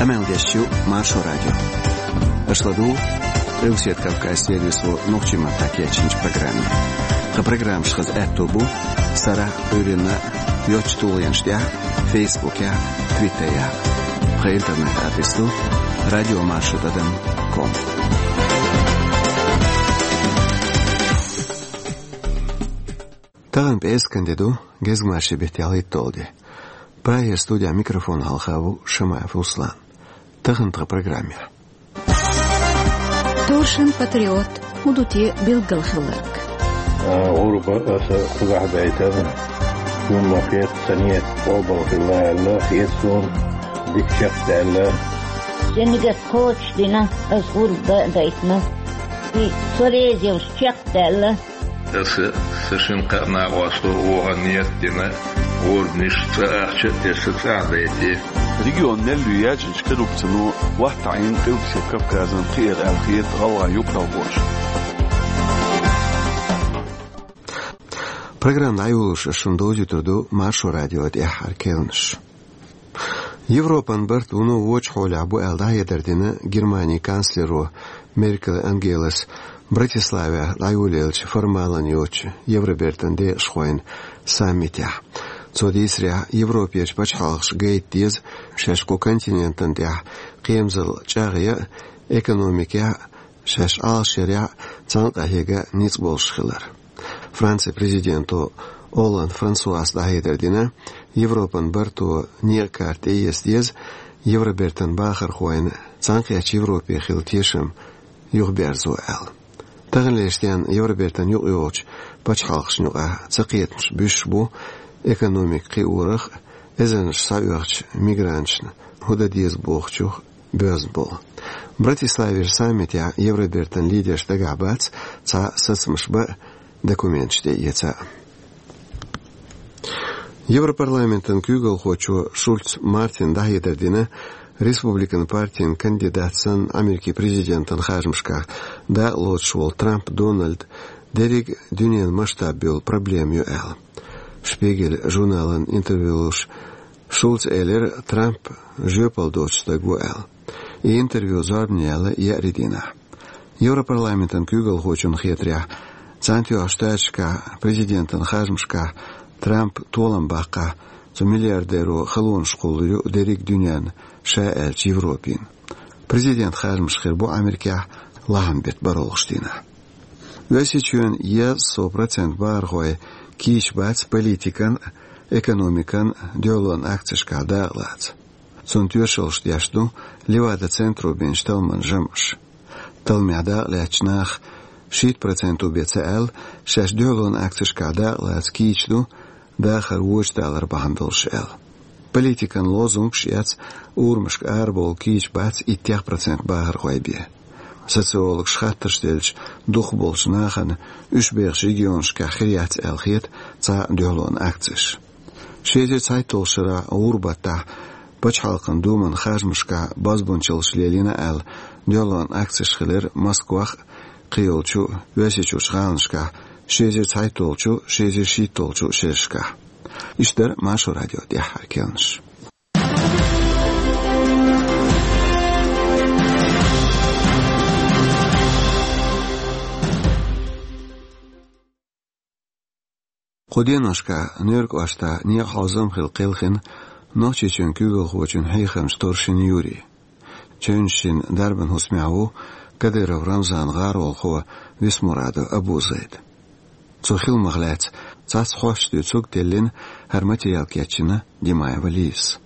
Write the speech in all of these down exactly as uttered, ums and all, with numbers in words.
Къамел деш ю Маршо радио. Аша ладугӀу Къилбаседа Кавказан сервисо нохчийн маттахь кечйинчу программе. Тхан программаш хаза аьтто бу сарахь а, Ӏуьйранна а йоцчу тулгӀенаш тӀехь а, Фейсбукехь а, Твиттерехь а. Тхан интернет-адрес ду радиомаршо тӀадам ком. Тахана пӀераскан де ду, гезгмашин беттан ялхитталгӀа де. Прагера студехь микрофон хьалха ву Шамаев Руслан. Тахана тхан программехь. Торшан патриот, хӀун ду те билггал хилларг? А, гӀурба аса кхузахь дайтар, хӀумма хетта ца нет, къобал хилла аьлла, хета суна, дика чекхдаьлла. Шен нигат кхочушдина, аса гӀурба дайтина. И со реза йолуш чекхдаьлла. Аса сан шина-кхаа накъосто вогӀан ниет дина, гӀурбанаш цӀа ахча а тесна цӀахь дайти. Регион мел ю яьжначу къилбаца ну ваттахьийна Къилбаседа Кавказан кхиэр аьлла хета гӀалгӀайн юкъаралла бохуш. Программа дӀайолош ас шуна довзуьйтур ду Маршо радион тӀаьххьара керланаш. Европан барт вуно вочу хьолехь бу аьлла дӀахьедар дина Германин канцлеро Меркель Ангелас Братиславехь дӀайолаеллачу формалан йоцучу Евробертан декъашхойн саммитехь. Цо дийцарехь, Европерчу пачхьалкхаша гайта деза шаьш кху континентан тӀехь кхерамзалла чӀагӀъян а, экономикехь а, шаьш Ӏалашъярехь а цхьаьна къахьега ницкъ болуш хилар. Францин президенто Олланд Франсуас дӀахьедар дина, Европан барто некъан карта тӀеэца деза, Евробертан бахархойн Цхьаьнакхеттачу Европе хилла тешам юхаберзо аьлла. Таханлерчу денна Евробертан юкъайогӀучу пачхьалкхашна юкъахь цакхетамаш буьсуш бу экономика кхиорах а, эзарнаш схьаоьхучу мигранташна хӀун дан деза бохучух боьзна болу. Братиславера саммитехь Евробертан лидерш дагахь бац цхьа сацамаш бан а, документаш тӀеэца а. Европарламентан куьйгалхочо Шульц Мартина дӀахьедар дина, республикан партин кандидат санна Америкин президентан харжамашкахь дакъа лоцуш волу Трамп Дональд дерриг а дуьненан масштаб йолу проблема ю аьлла. Шпигель журналан интервью луш Шульца элира, Трамп жоьпалла доцу стаг ву аьлла. И интервью зорбане яьлла еарин дийнахь. Европарламентан куьйгалхочунна хетарехь, Цхьаьнатоьхначу Штаташкахь президентан харжамашкахь Трампа толам баккхахь, цу миллиардеро халонаш кхуллур ю дерриг а дуьненна, ша аьлча Европина. Президентан харжамаш хир бу Америкехь лахьан беттан бархӀалгӀачу дийнахь. Оьрсийчоьнан еза сов процент бахархой кийча бац политикан а, экономикан а дуьхьалонан акцешкахь дакъалаца. Цунна тоьшаллаш деш ду Левада-центро бинчу талламан жамӀаш. Талламехь дакъалаьцначу наха шийтта проценто бен ца аьлла, шаьш дуьхьалонан акцешкахь дакъалаца кийча ду, дахар вочу далар бахьана долуш аьлла. Политикан лозунгаш а эцна, урамашка арабовла кийча бац иттех процент бахархой бен. Социологаша хаттарш делча, дукхахболчу нахана уьш бехачу регионашкахь хир яц аьлла хета цхьа а дуьхьалонан акцеш. Ши эзар цхьайтталгӀачу шарахь гӀуран баттахь Пачхьалкхан Думан харжамашкахь бозбунчаллаш лелийна аьлла, дуьхьалонан акцеш хилира Москвахь а, кхийолчу Оьрсийчуьрчу гӀаланашкахь ши эзар цхьайтталгӀачу, ши эзар шийтталгӀачу шерашкахь. Иштта дара Маршо радион тӀаьххьара керланаш. Кху деношкахь Нуьркъоштахь некъан хьовзам хилла кхелхина Нохчийчоьнан куьйгалхочун хьехамча Торшин Юрин. Чевнаш шина дарбан хӀусамехь ву Кадыров Рамзанан гӀаролхо Висмурадов Абузайд. Цу хиламах лаьцна цхьацца хьош дуьйцург теллина, хӀара материал кечйина Димаева Лизас.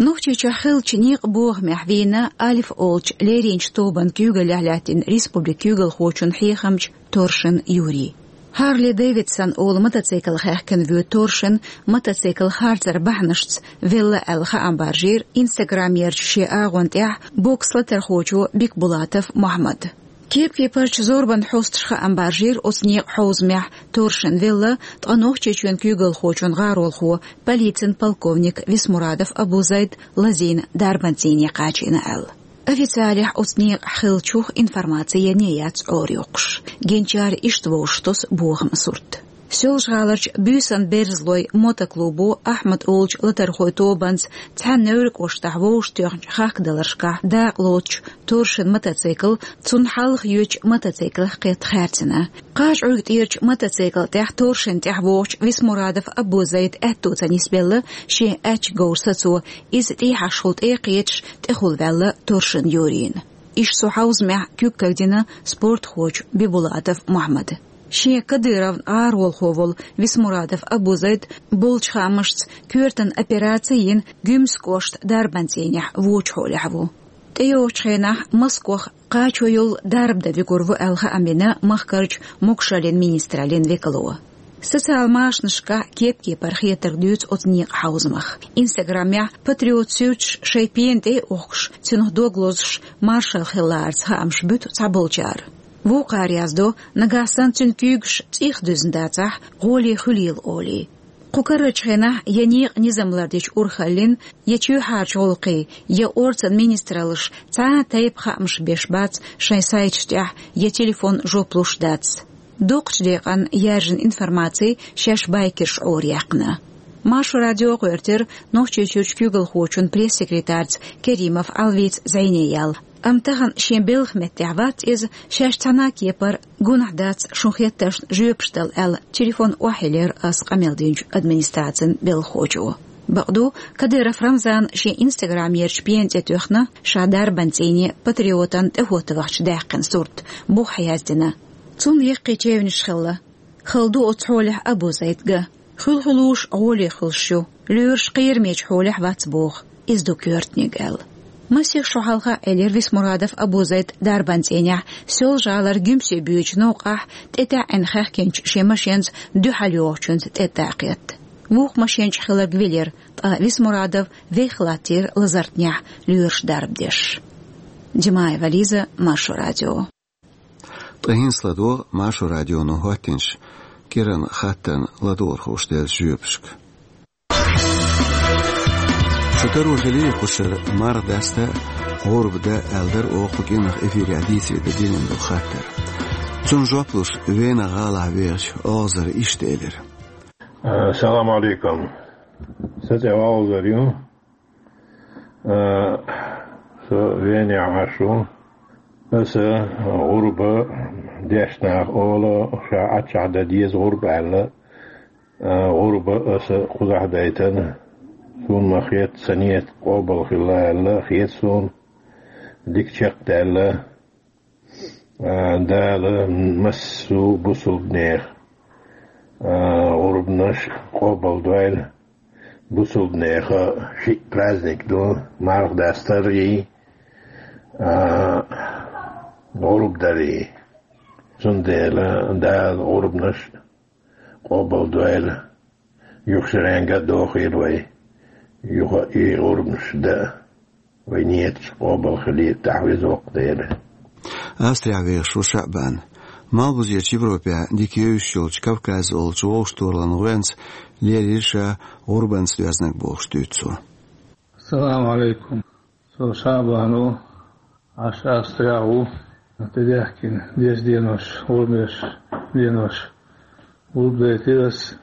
Нохчийчохь хиллачу некъан бохамехь вийна «Альф» олучу леринчу тобанан куьйгаллехь лаьттина республикан куьйгалхочун хьехамча Торшин Юрин. Харли Дэвидсон олу мотоцикл хаьхкина воьду Торшин мотоцикл харцаран бахьанашца велла аьлла хаам баржийра Инстаграмерчу шен агӀон тӀехь бокс латархочо Бекбулатов Мохьмада. Кепкепарчу зорбанан хьосташа хаам баржийра оцу некъан хьовзамехь Торшин велла, ткъа Нохчийчоьнан куьйгалхочун гӀаролхо, полицин полковник Висмурадов Абузайд лазийна дарбан цӀийне кхачийна аьлла. Официалехь оцу некъахь хиллачух информаци ян яц Ӏорайоккхуш. Гинчара иштта вовшахтосу бохаман сурт. Соьлжа-ГӀаларчу «Буьйсан берзалой» мотоклубо Ахьмад олучу латархойн тобанца цхьаьна Невран кӀоштахь вовшахтоьхначу хахкадаларшкахь дакъа лоцучу торшан мотоцикл цунна хьалха йоьдучу мотоциклах кхетта хаьрцина. Кхажа-Ӏуьрг тӀерачу мотоцикла тӀехь торшанна тӀаьхьа вогӀучу Висмурадов Абузайдан аьтто ца нисбелла шен аьчка говр сацо, иза тӀехьашхула тӀе а кхеташ, тӀехула ваьлла торшанна юьйрийна. Иштта цу хьовзамехь куьг кагдина спортхочо Бибулатов Мухьаммада. Шен Кадыровн гӀаролхо волу Висмурадов Абузайд болчу хаамашца коьртан операци йина Гуьмсан кӀоштан дарбан цӀийнехь вочу хьолехь ву. ТӀейогӀучу хенахь Москвах кхачо йолу дарба дан вигур ву аьлла хаам бина махкарчу могушаллин министраллин векало. Социал машанашкахь кеп-кепара хетарг дуьйцу оцу некъан хьовзамах. Инстаграмехь патриот суьрташ шайн пена тӀе а охкуш, цунах дог лозуш, маршалла хилларца хаамаш буьту цхьаболчара. Вукхара яздо, нагахь санна цуьнан куьйгаш цӀийх дуьзна дацахь, гӀоле хуьлийла олий. Кху карарчу хенахь я некъан низам лардечу урхаллин, я чоьхьарчу гӀуллакхийн, я орцан министраллаш цхьа а тайпа хаамаш беш бац шайн сайташ тӀехь, я телефон жоп луш дац. Дукхачу декъан яьржина информаци шаьш байкерша Ӏораяьккхина. Маршо радио гӀоьртира Нохчийчуьрчу куьйгалхочун пресс-секретарца Керимов Ӏалвица зӀене яла. Амма тахана шен белхан меттехь вац иза, шаьш цхьана а кепара гунахь дац шун хеттаршна жоьпаш дала аьлла, телефон охьаелира ас къамел динчу администрацин белхахочо. Бакъду, Кадыров Рамзана шен инстаграмерчу пена тӀе тоьхна, ша дарбан цӀийне патриотан тӀехӀотта вахча даьккхина сурт, буха яздина. Цунна яккхий чевнаш хилла. Хала ду оцу хьолехь Абузайд ган. Хуьлу-хуьлуш гӀоле хуьлуш ю. Лоьраш кхерамечу хьолехь вац боху, иза ду коьртаниг аьлла. Масех шо хьалха Ӏелира Висмурадов Абузайд дарбан цӀийнехь, Соьлжа-ГӀалара Гуьмсе боьдучу новкъахь тӀетаьӀӀина хаьхкинчу шен машенца дуьхьал йогӀучуьнца тӀе даккхетта. Вукху машен чу хилларг вилира, ткъа Висмурадов вех латтийра лазартнехь лоьраш дарба деш. Димаева Лиза, Маршо радио. Ткъа хӀинца ладогӀа Маршо радионо хӀоттийначу кӀиранан хаттарна ладогӀархоша деллачу жоьпашка. Шу таро хилийра кху шарахь марха даста а, гӀурба дан а аьлла дара оха кху кӀиранах эфирехь дийцаре дан диллина долу хаттар. Цунна жоп луш, Вена гӀалахь вехачу Олзара иштта элира. Салам алейкум. Сан цӀе Олзар ю. Э, со Венехь Ӏаш ву. Аса гӀурба деш наха олу, ша Ӏаччахь дан деза гӀурба аьлла. Э, гӀурба аса кхузахь дайтина. Суна ма хета, сан нийят къобал хилла аьлла, хета суна. Дика чекхдаьлла. А, Дала массо а бусулбанех, а, гӀурбанаш къобалдойла. Бусулбанеха шиъ праздник ду, марха дастарий, а, гӀурба дарий. Цундела Дала гӀурбанаш къобалдойла. Юха шеренга а дохийла вай. Юха и гӀурбанаш дан. Вай нийяташ къобал хилийла, тӀаьхьавеза воккха Дела. Австрехь вехаш ву ШаӀбан. Малхбузерчу Европехь дика евзаш йолчу Кавказ олучу вовшахтохараллин гӀоьнца лелийра ша гӀурбанца доьзнарг бохуш дуьйцу цо. Салам алейкум. Со ШаӀбан ву, Ӏаш Австрехь ву. ТӀедехкина деза денош, гӀурбанаш денош. ГӀурба дайтира ас.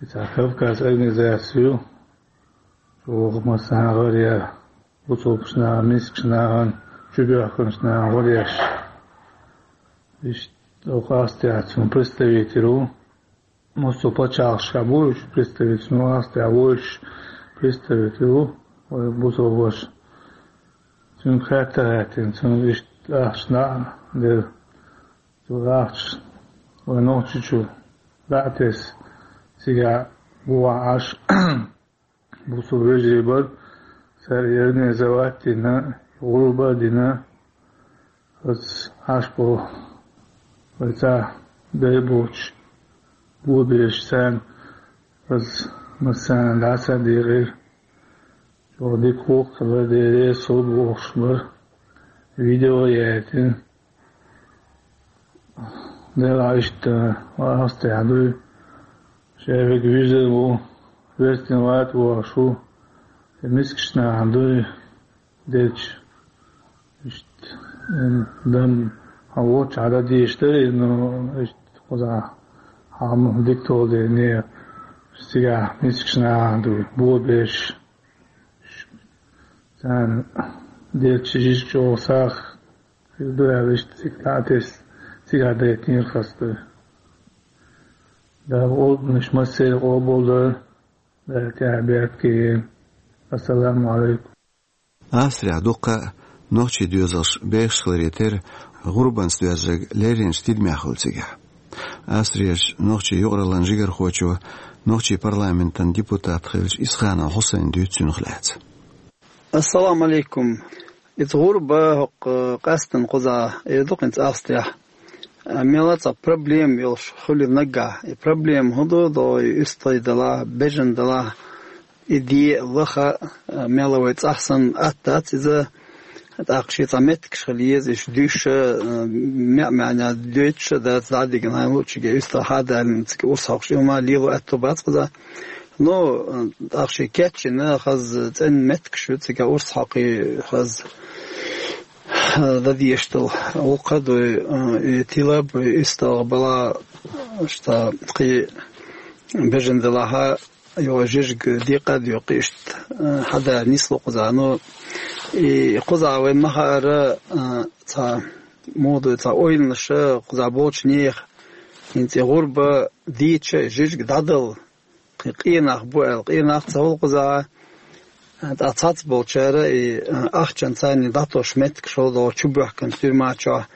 И цхьа Кавказ организаци ю. Чу ваха массанхьа гӀар яр, бусулбачу нахана, мискачу нахана, чубоьхкинчу нахана гӀар еш. Иштта оха Австрехь цуьнан представитель ву. Массо а пачхьалкхашкахь бу уьш представитель, ну, Австрехь ву уьш представитель ву, вай бусулба ваша. Цуьнга хатта а хаьттина, цуьнга иштта ахча дӀа а делла. Цу ахча вай Нохчийчу дӀа а тесна, цигахь гуо Ӏаш, бусулба вежарий бара, цара организовать а дина, гӀурба а дина, хаза Ӏаш болу вай цхьа дай боцуш, бо безаш царна, хаза массарна дӀаса а декъира. Чохь дика гӀуллакх хилла, Деле сов бохуш бара. Видео а яийтина. Делахь иштта, Австрехь дуй. Шайверг виза ву, верстина вата вогӀуш ву. И мискачу нахана дуй, дечу. Иштта, м, дам, хьан вочу хьан дан дийш дарий, ну, иштта, кхузахь, Амма дика толаде не, цигахь мискаш нахана ду, бобеш, царна делча жижиг чӀогӀа сагӀа хир ду аьлла, иштта цига дӀа а тесна, цигахь дайтинера хаза ду. Дала къобалнаш массеран къобал дойла, Дала тӀаьхьа беркате йойла. Ассаламу Ӏалайкум. Австрехь дуккха а нохчийн доьзалш бехаш хиларе терра, гӀурбанца доьззарг лерринчу тидамехь хуьлу цигахь. Австрерчу нохчийн юкъараллин жигархочо, нохчийн парламентан депутат хиллачу Исханов Хьусайна дуьйцу цунах лаьцна. Ассаламу Ӏалайкум. Иза гӀурба хӀокху къаьсттина кхузахь эр ду-кх хӀинца Австрехь. Мел а цхьа проблема йолуш хуьлу наггахь. И проблема хӀун ду, догӀу и уьстагӀий делахь, бежана делахь, и де а, лаха а, мел а вай цӀахь санна атта дац иза. ТӀаккха шен цхьа меттигаш хила еза, уьш дуьйш а, меа-маьӀна дойтуш а дац, дӀа а дигна хьайна луучуьнга уьстагӀ хьадалийна цига урс хьокхуш, и хӀума лело аьтто бац кхузахь. Ну, тӀаккха шен кечйина хаза цӀена меттигаш ю цига урс хьокхий хаза дан дезаш долу. Вукху а дуй, и тила а буй, уьстагӀ бала, ша кхин бежана делахь а, йо, жижиг декъа а доькъу иштта, хьада нисло кхузахь. Ну, и кхузахь вайн ма-хаара, цхьа муха дуй, цхьа ойланаш кхузахь болчу нехан, хӀинца и гӀурба дийча, и жижиг дӀадала, кхин къен нах бу аьлла, къен нах ца хуьлу кхузахь, ткъа цхьацболчара и ахчанца царна дӀатосуш меттигаш хуьлу догӀу чубоьхкина тюрьма чохь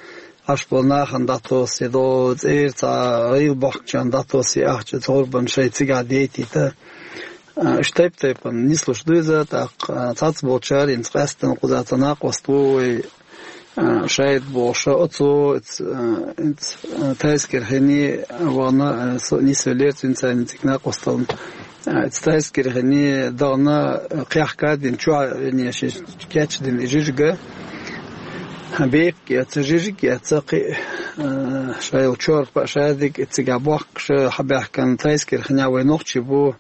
Ӏаш болу нахана дӀатосу, я догӀу цӀера цхьа гӀийла бохкучарна дӀатосу и ахча, цу гӀурбанна шайн цигахь дейтийта. Уьш тайп-тайпана нислуш ду иза, тӀаккха цхьацболчара хӀинца къаьсттина кхузахь цхьа накъост ву вай, Шайд бохуш, оцо, Тайскера хӀинца вахана, нисвеллера цуьнца цигахь накъосталла. Тайскера хӀинца дахана, кхехка а дина, чохь а вене шен кечдина и жижиг. Бепиг эцна, жижиг эцна, кхин а, шайла чорпа а, шадерг а цигахь бохкуш, хьабаьхкина, Тайскера хӀинца вай нохчий бу.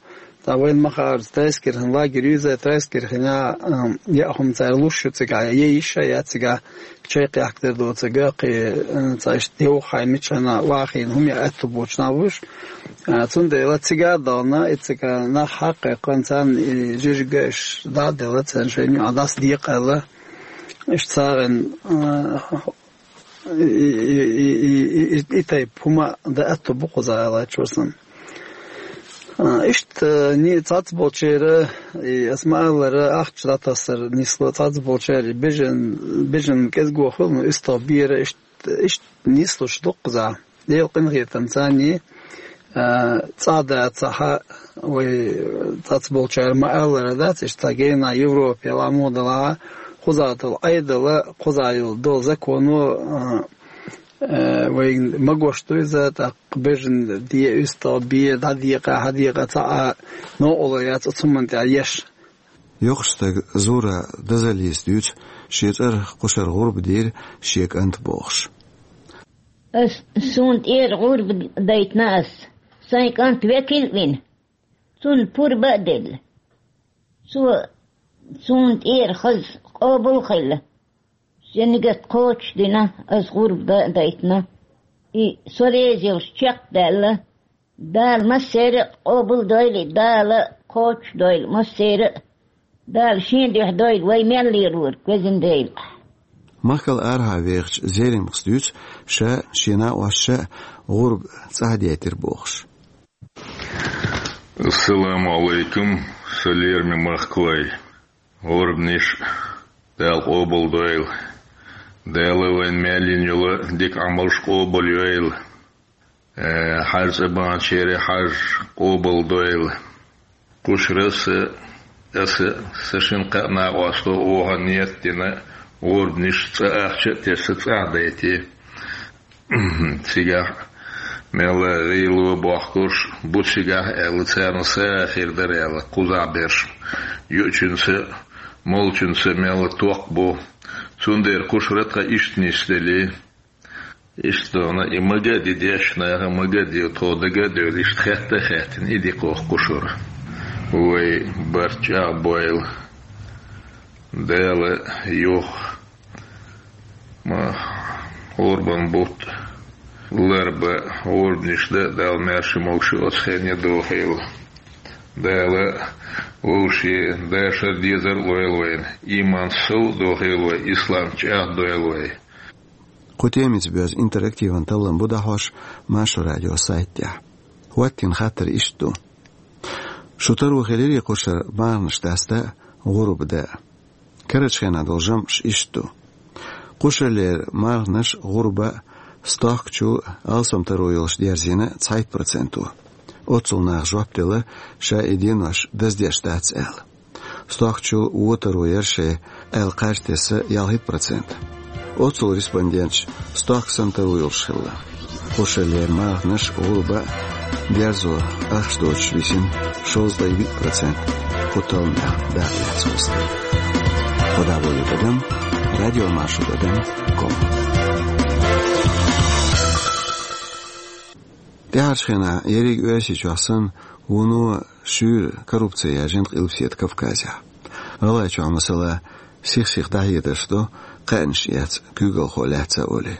Ткъа вайна ма-хаара, Тайскера хӀинца лагерь ю иза, Тайскера хӀинца, а, яа хӀума цара луш ю цигахь, я йиш а яц цигахь, чай кхехкадар доцург, кхин а, цхьа иштта деваха хьайна мичахь а вахийна хӀума яа аьтто боцуш нах бу уьш. А, цундела цигахь а дахана, и цигахь нах хьакхайкхина, царна и жижиг а уьш дӀа а делла, царна шайна юкъахь дӀасадекъа аьлла. Иштта сагӀина, а, и, и, и тайпа хӀума дан аьтто бу кхузахь аьлла чуьра санна. А, иштта, ни цхьацболчеран, и ас ма-аллара, ахча дӀатасар нисло цхьацболчеран, и бежан, бежан кӀезиго хуьлу, ну, уьстагӀ бер, иштта, иштта нислуш ду кхузахь. Делан къинхетамца царна, а, цӀа дацахь, вай цхьацболчара ма-аллара дац, иштта гена Европе, ламо далахь, кхузахь долу Ӏедал, кхузахь йолу долу законо, а, Э, вайна магош ду иза, тӀаккха бежан де, уьстагӀ бе, дӀадекъа, хьадекъа, цхьа а новкъарло яц оцу хӀуманна тӀехь еш. Йоккхачу стага Зура Дазалис дуьйцу шен цӀарах кхушара гӀурба дийра шен кӀанта бохуш. Ас, суна тӀера гӀурба дайтина ас, сайн кӀант векал а вина, цунна пурба а делла. Цо суна тӀера хаза къобал а хилла. Шен нигат кхочушдина, ас гӀурба дан а дайтина. И со реза йолуш чекхдаьлла. Дала массеран а къобалдойла, Дала кхочушдойла массеран а. Дала шен дуьхьа дойла вай мел лелорг, везан Дела. Махкал арахьа вехачу Зеримхас дуьйцу ша, шен накъосташа а гӀурба цӀахь деттира бохуш. Ассаламу Ӏалайкум, сан лераме махкалой. ГӀурбанаш Дала къобалдойла. Дала вайн мел йина йолу дика Ӏамалш къобалйойла. Э, хьажа цӀа баханчеран хьаж къобалдойла. Кхушара аса, аса, сан шина-кхаа накъосто оха ниет дина, гӀурбанаш цӀа ахча а тесна цӀахь дайти. Цигахь мел гӀийла бохкурш бу цигахь аьлла, царна сагӀа хир дара аьлла, кхузахь берш. Юучуьнца, молчуьнца мел ток бу. Цундела кхушара тхан иштта нисделла. Иштта дона, и мага а ди дешна, мага а ди тхо дага а девлла, иштта хетта а хеттина, и ди кхох кхушара. Вай барт чӀагӀбойла. Дала юха ма гӀурбан бутт Ларба гӀурбанаш да, Дала маьрша могаш оцу хенне дохийла. Дала вовшийн дашар, дезар лойла вайна. Иман сов дохийла вай, ислам чӀагӀдойла вай. Кху темица боьзна интерактиван таллам бу дӀахьош Маршо радио сайтехь. ХӀоттийна хаттар иштта ду. Шу таро хилирий кхушара марханаш даста а, гӀурба дан а? Карарчу хенахь долу жамӀаш иштта ду. Кхушарлера марханаш, гӀурба а стохкачул алсам таро йолуш дерзийна цхьайтта проценто. Оццул наха жоп делла, ша и денош даздеш дац аьлла. Стохкачул вон таро яра шайн аьлла кхаж тесна ялхитта процент. Оццул респонденташ стохка санна таро йолуш хилла. Кхушарлера марханаш, гӀурба а дерзо ахча доцуш висина шовзткъе виъ процент кху талламех дакъа лаьцна хӀусамна. Кхо дӀаболу тӀадам, радиомаршо тӀадам ком. ТӀаьхьарчу хенахь ерриг Оьрсийчохь санна, вуно шуьйра коррупци яьржина Къилбаседа Кавказехь. ГӀалгӀайчохь, масала, сих-сиха дӀахьедарш до, кхаьънаш эцна куьйгалхо лаьцна а олий.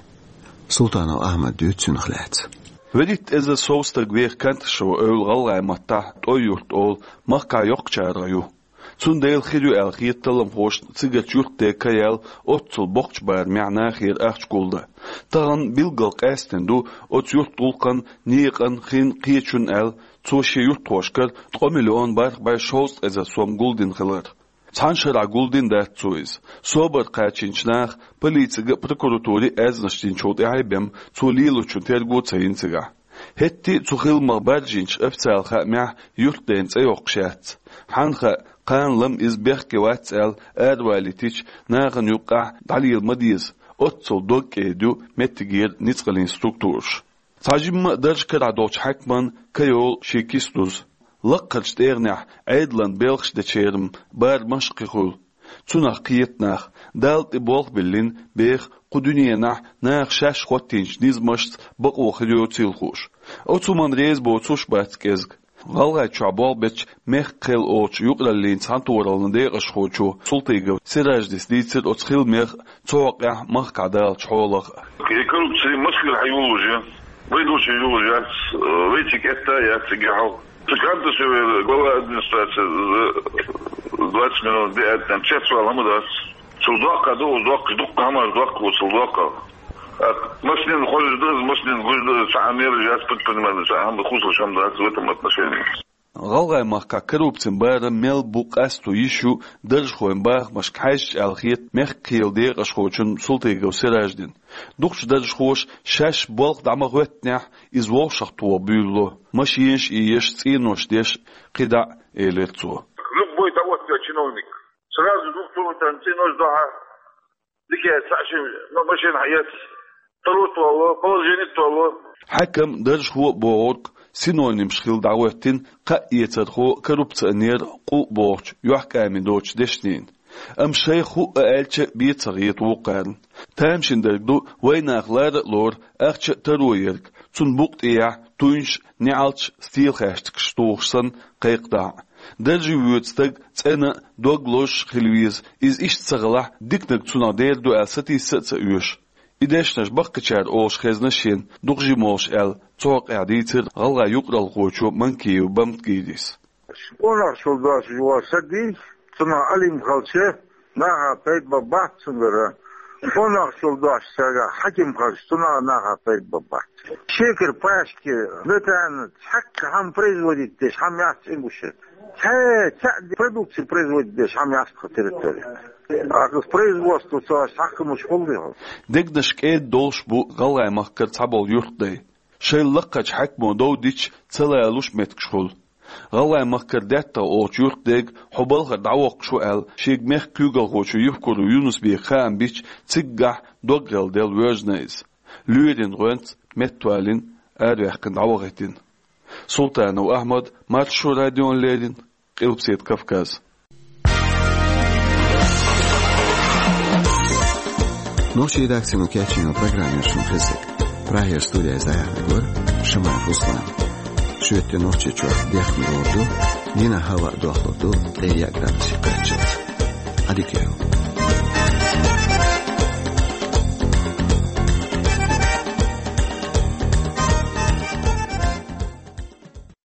Султанов Ахьмада дуьйцу цунах лаьцна. ВуьрхӀитта эзар сов стаг веха Канташево-Эвла гӀалгӀайн маттахь ТӀой юрт олу, махкахь йоккхачарах ю. Цундела хир ю аьлла хета талламхошна цигарчу юьртде ка яьлла, оццул боккхачу барамехь нахера ахча гулдан. Тахана билггал къаьстина ду оцу юьртан гӀуллакхан, некъан, хин, кхечун аьлла, цо шен юьртахошкара ткъа миллион бархӀ бӀе шовзткъа эзар сом гулдина хилар. Цхьана шарахь гулдина дац цо иза. Собар кхачийначу наха, полицига а, прокуратуре а аьзнаш динчул тӀаьхьа бен, цо лелочун терго а ца йина цигахь. ХӀетте а цу хиламах баржийначу официалан хаамехь юьртден цӀе йоккхуш яц. Хьанна хаьа, кхана-лама иза бехке вац аьлла аравалийтича, нахана юккъехь дӀалела ма деза, оццул дог кӀеда ю меттигера ницкъаллин структураш. Цхьа жимма а дарж карахь долчу хьаькаман ка йолу шен киса дуза. Лаккхарчу тӀегӀанехь Ӏедалан белхаш дечеран барамаш кхин хуьлу. Цунах кхета нах, Далла тӀе болх биллина, беха кху дуьненахь наха шаьш хӀоттийначу низамашца бакъо хир йоцийла хууш. Оцу хӀуманна реза боцуш а бац кӀезиг. ГӀалгӀайчохь болх бечу «Мехк-Кхел» олучу юкъараллин цхьаьнатохараллин декъашхочо Султыгов Сираждис дийцира оцу хиламех а, цу хьокъехь махкахь далучу хьолах а. И коррупция Москвера хьан йолуш я? Вай долчу йолуш яц, вай цига кӀетта а яц цига хьал. Цу Канташевера глава администрации за двадцать минут де аьлла, цецвала хӀума дац. Цул доккха ду, доккха, дуккха хӀуманаш доккха ву цул доккха. А машинан хозуш ду, машинан гуш ду, цхьа а мераж яц, предприниматель, цхьа а хӀума, хувцалуш хӀума дац в этом отношении. ГӀалгӀайн махкахь коррупцин барам мел бу къасто йиш ю даржхойн бахамашка хьаьжча аьлла хета «Мехк-Кхелан» декъашхочун Султыгов Сираждина. Дукхачу даржхоша шаьш болх дӀа ма хӀоьттинехь, иза вовшахтоха буьйлало, машенаш а еш, цӀенош деш, кхидӀа а, элира цо. Любой дӀахӀоттийна чиновник сразу двух там цӀенош дохьа, дика цхьа ши ма-, машина хьаэц, тӀарутталло, положение толло. Хьаькам, даржхо а бохург синонимаш хилла дӀахӀоьттина кхаа эцархо коррупционер, къу а бохучу, юьхькӀаме доцучу дешнийн. Амма шайх хӀуъа аьлча а бен ца хета вукхарна. Тамашийна дерг ду, вайнах лара а лору ахча а таро ерг, цунна букъа тӀехь туьйнаш а, неӀалташ а, стелахаьштигаш тухуш санна, кхайкхадахь а. Дарже воьду стаг цӀена а, дог лозуш а хила веза, иза иштта ца хилахь, диканиг цунах дер ду аьлла сатийса а ца оьшу. И дешнаш баккхийчара олуш хезна шена, дукха жима волуш аьлла, цу хьокъехь дийцира гӀалгӀайн юкъаралхочо Манкиев Бамтгирис. Къонахчул дош юха сади, цунах алим хилча, наха пайда бан бац цуьнгара. Къонахчул дош сага хьаким хилча, цунах наха пайда бан бац. Шекар, пачки, сметана, цхьаккха хӀума производить деш хӀума яц цӀе гуш. Цхьа, цхьа продукция производить деш хӀума яц тхан территория. Акхас производство цо аш хьакхамаш хуьлу. Дегнаш кӀеда долуш бу ГӀалгӀайн махкара цхьаболу юьртдай. Шайла лакхарчу хьаькамо дов дича, ца лалуш меттигаш хуьлу. ГӀалгӀайн махкара ДеттагӀа олучу юьртдега хьо балхара дӀавоккхуш ву аьлла, шега мехкан куьйгалхочо Евкуров Юнусбека хаам бича, циггахь доггӀалла делла воьжна иза. Лоьрийн гӀоьнца меттавалийна, араваьккхина дӀавахийтина. Султанов Ахьмад, Маршо радиона леррина, Къилбаседа Кавказ. Нохчийн редакцино кечйина программа шуна хезира. Прагера студияйца дӀаяьхьнарг вара Шамаев Руслан. Шоьтан Нохчийчохь дехна лур ду дийнахь, хӀаваъ дохлур ду ткъе яа градусе кхаччалц. Ӏадика йойла.